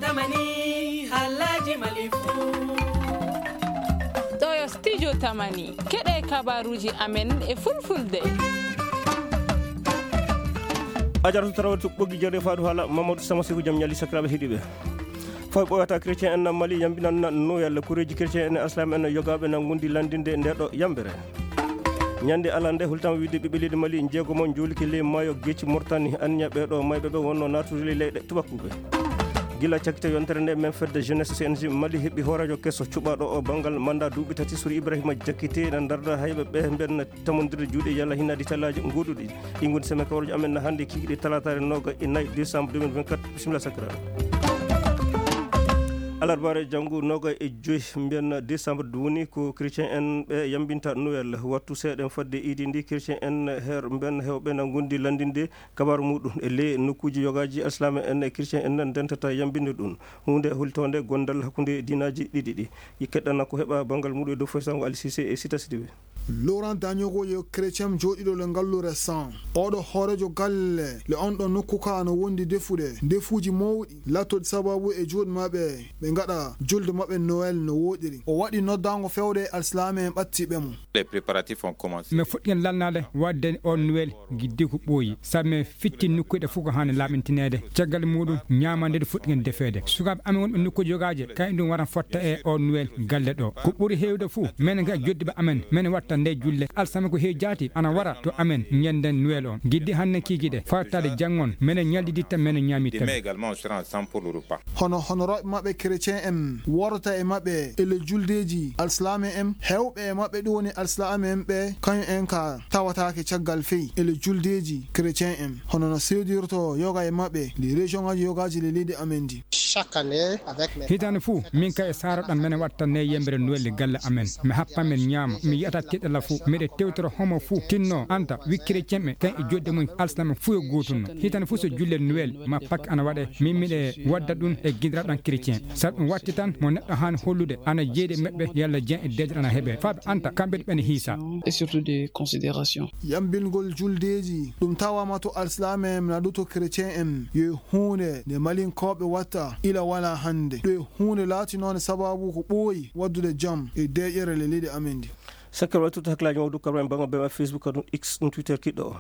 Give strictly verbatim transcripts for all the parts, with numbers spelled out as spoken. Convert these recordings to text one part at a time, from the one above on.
Tamani, halaji malifu. Ɗo yo studio Tamani. Keɗe kabaruji amen e fulfulde. A jaratu tarawatu ɓoggi jare faadu haala Mamadou Sama Seku jam ñali sakiraaɓe heɗiiɓe. Fay ɓooyata chrétien en Mali yambinan Noël, kureeji chrétien en, islam en, yogaaɓe na ngundi landinde nde ɗo yambere. Ñande alande hultama wiide ɓiɓɓe leydi Mali jeegomo njuuliki ley maayo geeci Mauritanie, anniya ɓe ɗo mayɓe ɓe wonno naatude ley leyɗe tubakuɓe. Gila cakkite yontere nde men fedde jeunesse C N J Mali heɓi hooreejo keso cuɓaɗo o banngal manda duuɓi tati sur Ibrahima Jakite na darda hayɓe ɓe mben tamondirde juuɗe yalla hinnaade tallaaji gooduɗi. Ɗi ngoni semaine kawruji amen na hannde kikiɗe talataare noga e nayi décembre deux mille vingt-quatre. Bisimilla sakira. Alarbaare janngo noga e joyi mbiyen décembre woni ko chrétien en ɓe yambinta Noël. Wattu seeɗen fadde iidi ndi, chrétien en her mben hewɓe na gondi landinde kabaru muɗum e ley nokkuji yogaji alsilaame en e chrétien en ndentata yambinde ɗum. Hunde hultonde gondal hakkunde diinaji ɗiɗi ɗi. Keɗɗana ko heɓa bangal muɗum e dow foy sango Ali Cissé e Sita Sidibé. Laurent Dagnogo yo chrétien jooɗiɗo le ngallu récent. Oɗo hoorejo galle le on ɗo nokku ka no wondi defude ndefuji mawɗi lattoɗi sababu e juuɗe maɓɓe ɓe ngaɗa julde maɓɓe Noël no woɗiri. O waɗi noddango fewde alsilaame en ɓattiɓe mo. Les préparatifs ont commencé. Mais fuɗɗigen lalnaade waɗde o Noël. Giddi ko ɓooyi, sabu men fitti nokkuuji ɗe fof ko haani laaɓintineede. Caggal muɗum, ñaamande nde fuɗɗigen defeede. Sukaaɓe amen wonɓe nokkuuji yogaaji, kayen ɗum wara fotta e o Noël galle ɗo. Ko ɓuri heewde fof, men ga joddiɓe amen, men watta nde julle. Alsama ko heewi jaati, ana wara to amen ñande Noël o. Giddi hannde kiikiɗe, fartaade janngon, men ñalɗiditta, men ñaamitta. Demain également, on sera ensemble pour le repas. Hono honoraaɓe maɓɓe chrétien en worata e maɓɓe e le juldeeji alsilaame en, heewɓe e maɓɓe ɗum woni alsilaame en ɓe, kañum en ka tawataake caggal fey e le juldeeji chrétien en, hono no seedirto yoga e maɓɓe le région ngaji yogaaji le leydi amen ndi. Chaque année, avec mes Hitaande fof, min kay e saaro ɗam mene watta ne yembere Noël galle amen. Mi happa men ñaama, mi yiyata teɗɗala fof, miɗe tewtora homo fof tinno anta wi chrétien ɓe, kan e jodde mum alsilaame fof yo gootunno. Hitaande fof so julle Noël ma Pâques ana waɗe, min miɗe wadda ɗum e giɗiraɗam chrétien. Sabu ɗum watti tan mo neɗɗo haani hollude ana jeyde meɓɓe yalla jen e deeƴre ana heɓe. Faaɓe anta kamɓe ɓene hiisa. Et surtout de considération. Yambingol juldeeji, ɗum tawama to alsilaame en na ɗum to chrétien en, yo huunde nde malinkooɓe watta ila wala hannde. Ɗum huunde laatinoonde sababu ko ɓooyi waddude jam e deeƴere le leydi amen ndi. Sakkere waɗi tuta hakkilaaji mawɗo karma en bango bema Facebook, ɗum X, ɗum Twitter kiɗɗo o.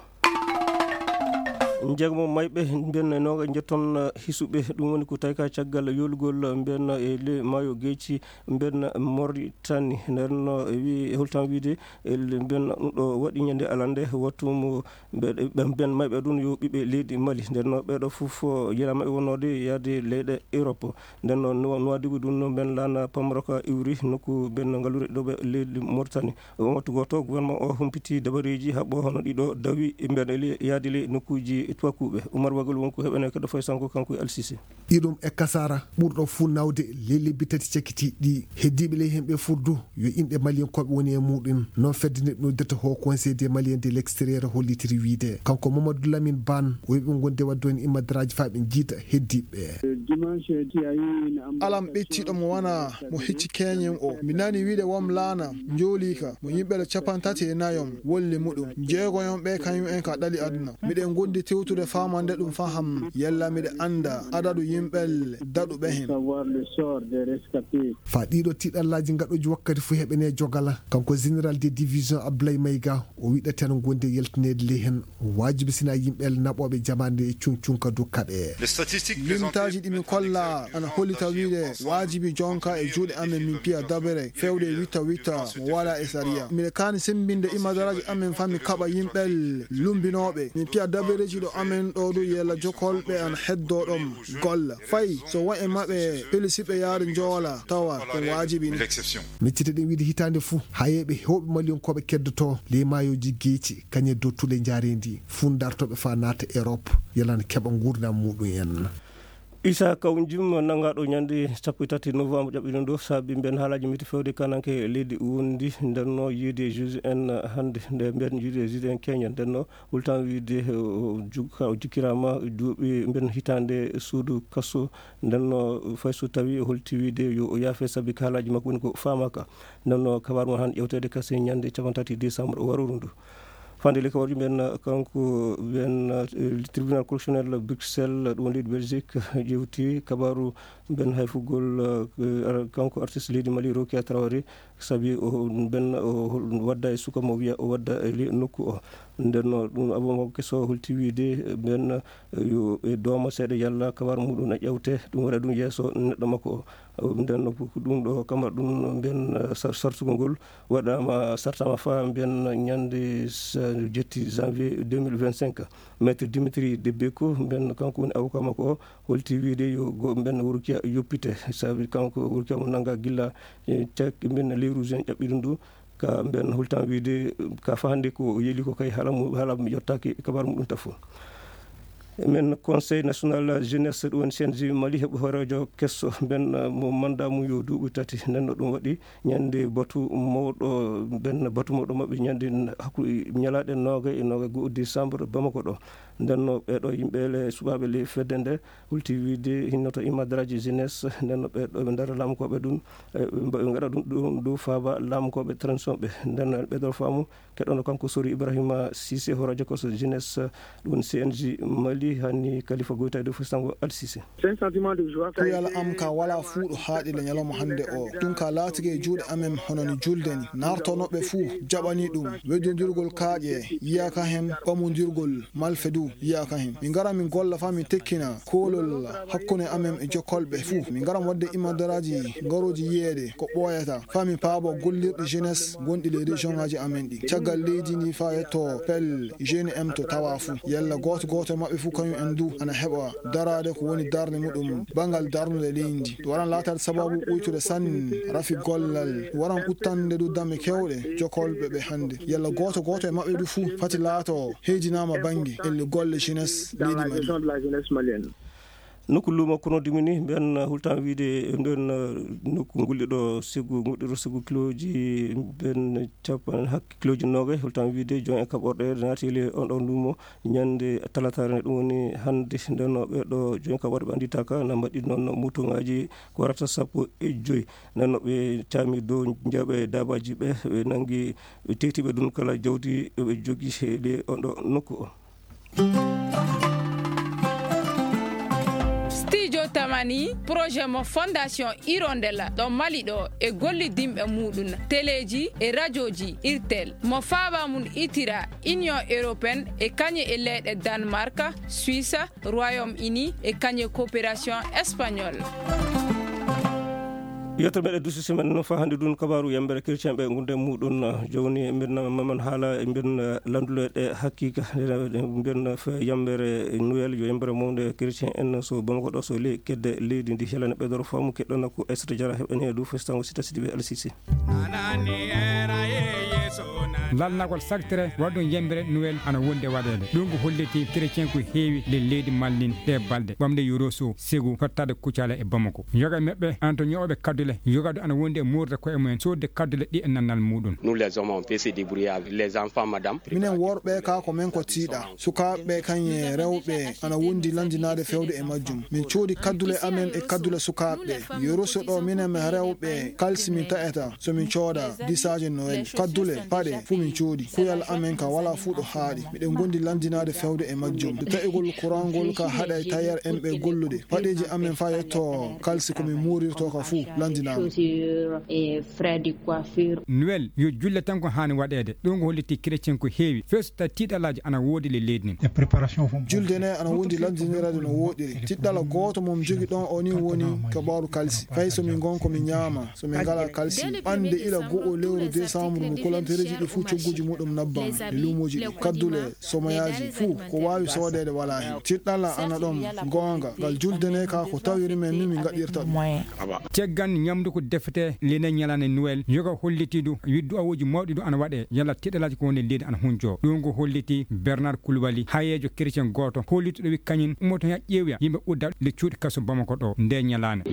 Jeegom mayɓe mbiyen noga jetton hisuɓe, ɗum woni ko tawi ka caggal yolugol mbiyen e le maayo geeci mbiyen Mauritanie. Nden no wi holtan wiide e le mbiyen ɗum ɗo waɗi ñande alande wattu mo mbiyen mayɓe ɗum yo ɓiɓɓe leydi Mali. Nden no ɓeɗo fof yela maɓɓe wonnode yaade leyɗe Europe. Nden no Nuwa-, Nuwadibu ɗum no mbiyen laana Pamroka iwri nokku mbiyen ngalluure ɗo ɓe leydi Mauritanie. Wontu gooto, gouvernement o humpiti dabareeji haɓɓo hono ɗiɗo dawi e mbeɗa le-, yaadi le nokkuuji tuwakuuɓe. Umar Bagol wonko heɓene keɗo fay sanko kanko e Alsise. Iɗum e kasara ɓurɗo fuu nawde le lebbi tati cakkitiiɗi ɗi. Heddiiɓe ley hemɓe furdu yo inɗe Maliyankooɓe woni e muɗum. Noon fedde nde ɗum noddata Haut Conseil des Maliens de l'extérieur hollitiri wiide. Kanko Mamadou Lamine Ban o wiɓe gonde wadde on immadaraaji faa ɓe jiita heddiiɓe. Alam ɓettiiɗo mo wana mo hecci keñen o. Mi nani wiide wom laana njoolii ka mo yimɓe le capanɗe tati e nayon wolli muɗum. Jeegoyon ɓe kañum en ka ɗali aduna. Miɗen gondi tewtude faamande ɗum faham yalla miɗe annda adadu yimɓe daɗuɓe hen. Faa ɗiɗo tiɗallaaji ngaɗooji wakkati fof heɓene jogala. Kanko général de division Ablaye Mayga o wiɗa tan gonde yaltineede ley hen. Waajibi sina yimɓe naɓooɓe jamaande e cuŋ cuŋ ka dow kaɓe. Limtaaji ɗi mi kolla ana hollita wiide waajibi jonka e juuɗe amen min piya dabere fewde witta witta mo wala e sariya. Miɗe kaani sembinde imadaraaji amen fami kaɓa yimɓe lumbinooɓe. Min piya dabereji ɗo amen ɗo du yella jokolɓe ana heddo ɗon golla. Fay so won e maɓɓe pelisiɓe yaade njoola tawa ɗum waajibi ni. Miccite ɗen wiide hitaande fuu, hayeeɓe heewɓe Maliyankooɓe keddoto ley maayooji geeci, kañe dow tule njaareendi fuu ndartooɓe faa naata Erop, yalla na keɓa nguurndam muuɗum en. Issa Kawjum nangaaɗo ñande sappo e tati novembre ƴaɓɓiɗo ɗo saabi mben haalaaji miti fewde kananke leydi wondi ndenno yiide juge en hannde nde mben yiide juge en keñen ndenno. Hultan wiide, eh, o jug-, ka o jikkiraama duuɓi mben hitaande suudu kaso. Nden no fay so tawi o holti wiide yo o yaafe sabi ka haalaaji makko woni ko faamaaka. Nden no kabaar mo han ƴewteede kasi ñande cappanɗe tati décembre o waruru ndu. Fande le kabaruji men, kanko ben, eh, tribunal correctionnel Bruxelles, ɗum leydi Belgique, ƴewti kabaru ben hayfugol, eh, kanko artiste leydi Mali, Rokia Traoré, sabi o ben o wadda e suka mo wiya o wadda e le nokku o. Nden no ɗum abo makko keso holti wiide ben, eh, yo e dooma seeɗa yalla kabaru muɗum na ƴewte, ɗum waɗa ɗum yeeso neɗɗo makko o. Nden no ko ɗum ɗo kamar ɗum ben, eh, sar-, sartugol ngol waɗama, sartama fa ben ñande sa-, jetti janvier deux mille vingt-cinq. Maître Dimitri Debeko, ben kanko woni avocat makko o, holti wiide yo go ben Wurkia yoppite, sabi kanko Wurkia mo nanga gilla, eh, cak ben lewru juin ƴaɓɓi ɗum ɗo, ka ben hultan wiide ka fa hannde ko yeli ko kay hala mu-, hala mi yottaki kabar muɗum ta fof. Men Conseil National Jeunesse, ɗum woni C N J Mali, heɓi hooreejo kesso ben, eh, mo manda mum yo duuɓi tati. Nden no ɗum waɗi ñande batu mawɗo, ben batu mawɗo maɓɓe ñande hakku-, ñalaaɗe noogay e noogay go'o décembre Bamako ɗo. Nden no ɓeeɗo yimɓe le suɓaaɓe le fedde nde hulti wiide hinnoto imadraji jeunesse, nden no ɓeeɗo ɓe ndara laamukooɓe ɗum, eh, ɓe ngaɗa ɗum, ɗum dow faaba laamukooɓe transition ɓe. Nden no ɓeeɗo faamu keɗono kanko Sori Ibrahima Cissé, hooreejo koso jeunesse, ɗum C N J Mali, hani Khalifa Goïta e dow fustango Al Cissé. Kuyal am ka wala fuu ɗo haaɗi le ñalawma hannde o. Ɗum ka laatike e juuɗe amen hono ni julde ni. Nartonoɓe fuu jaɓani ɗum. Weddondirgol kaaƴe yiyaka hen, ɓamondirgol malfe du yiyaka hen. Min ngara min golla fa min tekkina koolol hakkunde amen e jokkolɓe fuu. Min ngara wadde imadaraaji ngarooji yiyeede ko ɓooyata. Fa min paabo gollirɗi jeunesse gonɗi le région ngaji amen ɗi. Caggal leydi ndi fa yetto pel jeune M to tawa fuu. Yalla gooto gooto maɓɓe fuu kañum en du ana heɓa daraade ko woni darnde muɗum banngal darnude leydi ndi. Ɗum waran laataade sababu ɓuytude sanne rafi gollal. Ɗum waran ɓuttande du dame kewɗe jokkolɓe ɓe hannde. Yalla gooto gooto e maɓɓe du fuu fati laato heydinaama bannge elle golle jeunesse leydi Mali. Nokku luumo kono dimini mbiyan hultan wiide nden, eh, nokku ngulɗi ɗo segu, ngulɗi ɗo segu kiloji mbiyan capan hak-, kiloji noogay, hultan wiide jon e kaɓorɗe naati le on ɗon luumo ñande talataare ne, ɗum woni hannde. Nden no ɓe ɗo jon e kaɓorɗe ɓe annditaka na mbaɗi noon mutuŋaaji ko warata sappo e joyi. Nden no ɓe caami dow njaaɓe daabaaji ɓe, ɓe nangi, ɓe teeti ɓe ɗum kala jawdi ɓe jogi he le on ɗo nokku o. Studio Tamani, projet mo Fondation Hirondelle ɗo Mali ɗo e gollidinɓe muɗum, teleji e rajoji Irtel, mo faaba mum itira Union Européenne e kañe e leyɗe Danemark, Suisse, Royaume Uni e kañe coopération espagnole. Yetto meɗe duusi semaine no fa hannde ɗum kabaru yambere chrétien ɓe gunde muɗum, jawni mbirna maman haala e mbirna landuleɗe hakkika mbirna fe yambere Noël yo yambere mawde chrétien en so Bamako ɗo so le kedde leydi ndi helana ɓeydoro faamu keɗɗona ko Aissata Diarra heɓani e dow festango sita siɗi ɓe Alsisi. Lalnagol saktere waɗɗum yambere Noël ana wonde waɗeede. Ɗum ko holliti chrétien ko heewi le leydi Mali ɗe balɗe ɓamde yoroso segu tottade kucala e Bamako. Yoga maɓɓe ana to ñooɓe kaddule, yoga ɗo ana wondi e moorde koye mumen, soodde kaddule ɗi e nannal muɗum. Nous les hommes, on peut se débrouiller avec les enfants, madame. Minen worɓe ka ko men ko tiiɗa. Sukaaɓe kañe rewɓe ana wondi lanndinaade fewde e majjum. Min coodi kaddule amen e kaddule sukaaɓe. Yoroso ɗo minen rewɓe kalsi min taƴata so min cooda disaaje Noël. Kaddule, paɗe, fuu min coodi. Kuyal amen ka wala fuu ɗo haaɗi. Miɗen gondi lanndinaade fewde e majjum. Nde taƴugol courant ngol ka haɗa e tailleur en ɓe gollude. Paɗeeji amen fa yetto kalsi ko min muurirto ka fuu lanndinaama. Noël yo julle tan ko haani waɗeede. Ɗum ko holliti chrétien ko heewi. First tiiɗalaaji ana woodi le leydi nin. Julde ne ana wondi lanndinirade no woɗiri. Tiɗɗala gooto mo mi jogi ɗon o ni woni kabaaru kalsi. Fay so min ngon ko min ñaama, so min ngala kalsi. Ɓannde ila go'o lewru décembre no kolantereeji ɗi fuu cogguji muɗum nabbam e luumooji ɗi. Kaddule, somoyaaji fuu ko waawi soodeede walaa hen. Tiɗɗala ana ɗon goonga. Ngal julde ne ka ko tawiri men ni min ngaɗirta ɗum. Caggal ñamdu ko defete lene ñalaande Noël, yoga holliti du widdu awooji mawɗi du ana waɗe yalla tiɗɗalaaji ko woni leydi ana hunjo. Ɗum ko holliti Bernard Koulibaly, hayeejo chrétien gooto, hollituɗo wi kañum ummoto yaa ƴeewoya yimɓe udda le cuuɗi kaso Bamako ɗo nde ñalaande.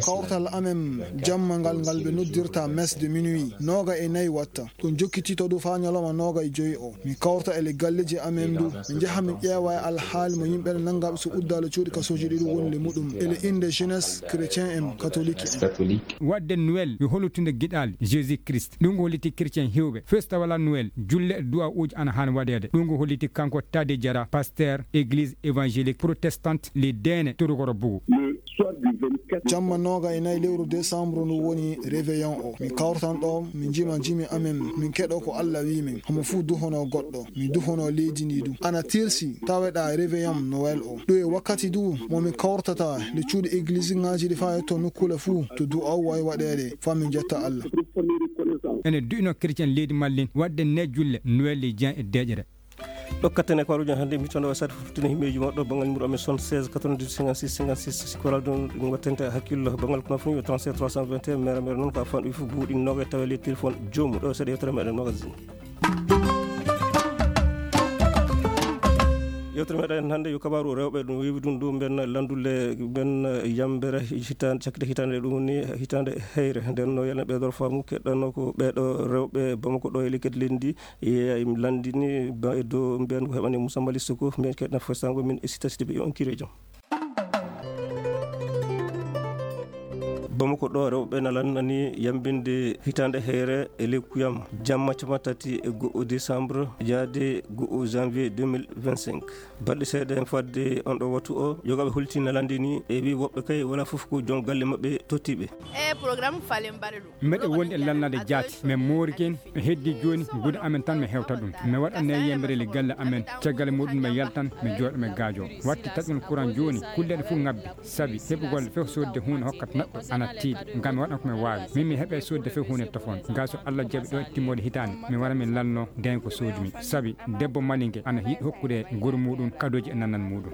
Kawtal amen jamma ngal, ngal ɓe noddirta messe de minuit, nooga e nayi watta. Ɗum jokkiti Cito du faa ñalawma nooga e joyi o, mi kawrta e le galleeji amen du, mi njaha mi ƴeewa e alhaali mo yimɓe nanngaɓe so uddaali cuuɗi kasooji ɗi ɗum woni le muɗum. E le innde jeunesse chrétien en catholique en. Waɗde Noël yo hollutude giɗaali Jésus Christ. Ɗum ko holliti chrétien heewɓe. Festa walla Noël, julle e du'a uji ana haani waɗeede. Ɗum ko holliti kanko Tade Diarra, pasteur église évangélique protestante les Deene Torokoro Bougou. Jamma nooga e nayi lewru décembre ndu woni réveillon o. Min kawrtan ɗo, min njima jimi amen, min keɗo ko Allah wi min. Homo fuu duhono goɗɗo, mi duhono leydi ndi du. Ana tirsi, taweɗa réveillon Noël o. Ɗo e wakkati du, mo min kawrtata le cuuɗi église ngaji ɗi faa yetto nokkuule fuu, to du'aw wawi waɗeede, faa min jetta Allah. Ene du'ino chrétien leydi Mallin, waɗde ne julle, Noël e Jean e deƴere. Ɗo katten e kabaruuji hannde, mi toon o sat fof tini himɓeeji maɗɗo, banngal numéro amen soixante-seize quatre-vingt-dix cinquante-six cinquante-six, si ko walaa ɗum, ɗum wattante hakkillo, banngal kono fof yo trente-sept trois cent vingt et un, mera mera noon ko a fanɗo fof buuɗi nooga e tawa lettir fof joomum. Ɗo seeɗa yewtere meɗen magazine. Yewtere meɗen hannde yo kabaaru rewɓe, ɗum weewi ɗum ɗo mben lanndule, mben yambere hitaande, cakkite hitaande ɗum woni hitaande heyre. Nden no yalna ɓeeɗo faamu keɗɗanno ko ɓeeɗo rewɓe Bamako ɗo e lekket lenndi. Yeeya im lanndini ba e dow mbiyan ko heɓani Moussa Malick Sougou, mbiyan keɗna fostango min e sita sita ɓe on kirejo. Bamako ɗo rewɓe na lannani yambinde hitaande heyre e lekkuyam jamma capanɗe tati e go'o décembre yaade go'o janvier deux mille vingt-cinq. Balɗe seeɗa en fadde on ɗo wattu o, yogaaɓe holti na lanndini e wi woɓɓe kay wala fof ko joom galle maɓɓe tottiɓe. E programme falen mbaɗa ɗum. Mbeɗe wondi e lannade jaati, min moori ken, mi heddi jooni, gude amen tan mi hewta ɗum. Mi waɗa ne yembere le galle amen, caggal muɗum mi yaltan, mi jooɗo mi gaajo. Watti taƴol courant jooni, kulle ɗe fof ngabbi, sabi heɓugol fof sodde huunde hokkat neɗɗo ana tiiɗi. Ngam mi waɗan ko mi waawi. Min mi heɓe sodde fof huunde tofon. Gaa so Allah jaɓi ɗo e timmoode hitaande, mi wara mi lanno dañ ko soodumi. Sabi debbo malinke ana yiɗi hokkude goro muɗum kadooji e nanan muɗum.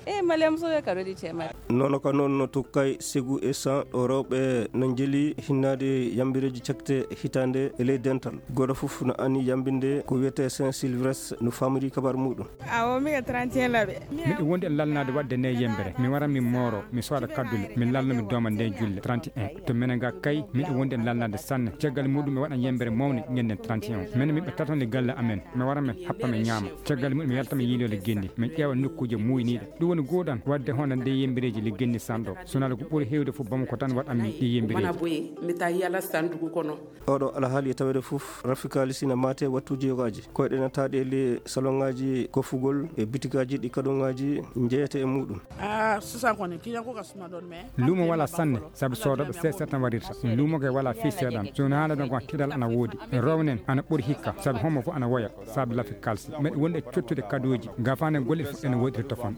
E Malem Sow e kadooji temedde. Nono ka noon no tokkay segu e san ɗo rewɓe no njeli hinnaade yambireeji cakte hitaande e ley dental. Gooto fof no anni yambinde ko wiyetee Saint Sylvestre no famiri kabar muɗum. Awo mi ka trente et un laɓe. Miɗo wondi e lalnaade waɗde nde yembere. Mi wara mi mooro, mi sooda kaddule, mi lalno mi dooma nde julle trente et un. To menen ga kay, miɗo wondi e lalnaade sanne. Caggal muɗum mi waɗan yembere mawne ñanden trente et un. Menen miɓe taton le galle amen. Mi wara mi happa mi ñaama. Caggal muɗum mi yalta mi yiiloyde genni. Mi ƴeewa nokkuuje muuyniiɗe. Ɗum woni gooɗan waɗde hono nde yembereeji le genni sanɗo. Sonal ko ɓuri heewde fof Bamako tan waɗanmi ɗi yembereeji. Mana boye, mi ta yala sandugu kono. Oɗo alhaali e taweede fof, rafi kaalisi na maate wattuuji yogaaji. Koyɗe na taaɗi e le saloŋaaji kofugol e bitigaaji ɗi kadoŋaaji njeyete e muɗum. Ah, sisan koni, kiñan ko ka suma ɗon, mais luumo wala sanne, sabu soodooɓe seeɗa seeɗa tan warirta. Luumo ke wala fii seeɗan. So woni haala ɗon ko tiiɗal ana woodi. Rownen ana ɓuri hikka, sabu homo fof ana woya, sabu lafi kalsi. Meɗe wonde cottude kadooji, gafaane golle fof ene woodiri tofon.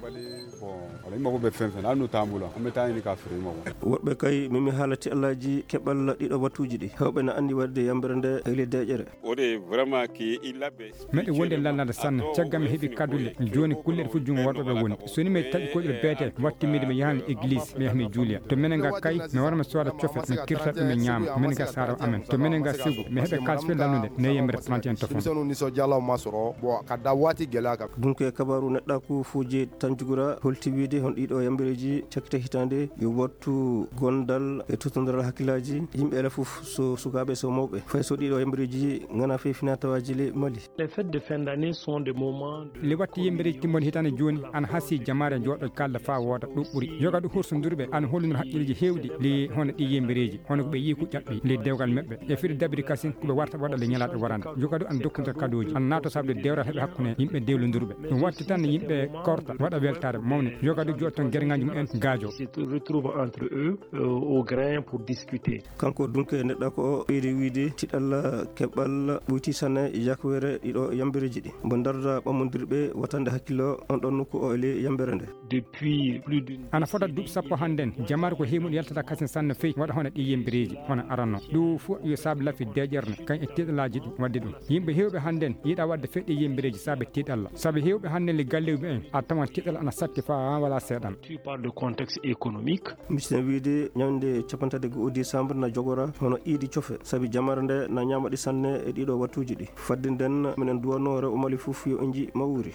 Bon, wala yimɓe fof ɓe fen fen, an no tambula, on ɓe tawani ka fere yimɓe fof. Woɓɓe kay, mimi haala tiiɗalaaji keɓal ɗiɗo wattuuji ɗi. Hewɓe na anndi waɗde yambere nde e le deƴere. Ode vraiment ki illaɓe. Meɗe wonde lallade sanne, caggal mi heɓi kaddule, jooni kulle ɗe fof junngo worɓe ɓe woni. So ni mi taƴi koyɗol beete, wattimmiide mi yahan église, mi yaha mi juuliya. To menen ga kay, mi wara mi sooda cofe, mi kirta ɗum mi ñaama, menen ga saara amen. To menen ga sigu, mi heɓe kaalis fee lannude, ne yembere trente et un to fond. Solution ni so jalaw masoro, bo ka da wati gela ka. Ɗum ko e kabaru neɗɗa ko fuuje tan jugura, holti wiide hon ɗiɗo yambereeji cakkite hitaande, yo wattu gondal e totondiral hakkillaaji, yimɓe ala fof so sukaaɓe so mawɓe. Fay so ɗiɗo yambereeji ngana fee fina tawaaji le Mali. Les fêtes de fin d'année sont des moments de. Le watti yimɓe reji timmode hitaande jooni ana hasi jamaare jooɗo kalda faa wooda ɗum ɓuri. Yoga du hursondurɓe ana hollunor haqqilleeji heewɗi le hono ɗi yimɓe reji, hono ko ɓe yii ko ƴaɓɓi le dewgal maɓɓe. E firi dabiri kasin ko ɓe warta waɗa le ñalaaɗe warande. Yoga du ana dokkude kadooji, ana naato sabde dewral heɓe hakkunde yimɓe dewlondurɓe. Ɗum watti tan yimɓe korta waɗa weltaare mawne. Yoga du jooɗo toon gerŋaaji mumen gaajo. Se retrouvent entre eux, euh, au grain pour discuter. Kanko dunke neɗɗa ko o ɓeydi wiide tiɗal keɓal ɓoyti sanne yakweere ɗiɗo yambereeji ɗi. Mbo darda ɓammondirɓe watande hakkillo on ɗon nokku o e ley yambere nde. Depuis plus d'une. Ana fota duuɓi sappo hannden, jamaare ko heewi mum yaltata kasen sanne fey waɗa hono ɗi yembereeji, hono aranno. Ɗum fof yo saabe lafi deeƴere kan e tiɗalaaji ɗi waɗde ɗum. Yimɓe heewɓe hannden yiɗa waɗde fey ɗi yembereeji saabe tiɗalla. Saabe heewɓe hannden le galleeji mumen a tawan tiɗal ana satti faa wala seeɗan. Tu parles de contexte économique. Mbiɗen wiide ñande capanɗe tati e go'o décembre na jogora hono iidi cofe, sabi jamaare nde na ñaama ɗi sanne e ɗiɗo wattuuji ɗi. Fadde nden, minen duwanno rewɓe Mali fof yo inji mawri.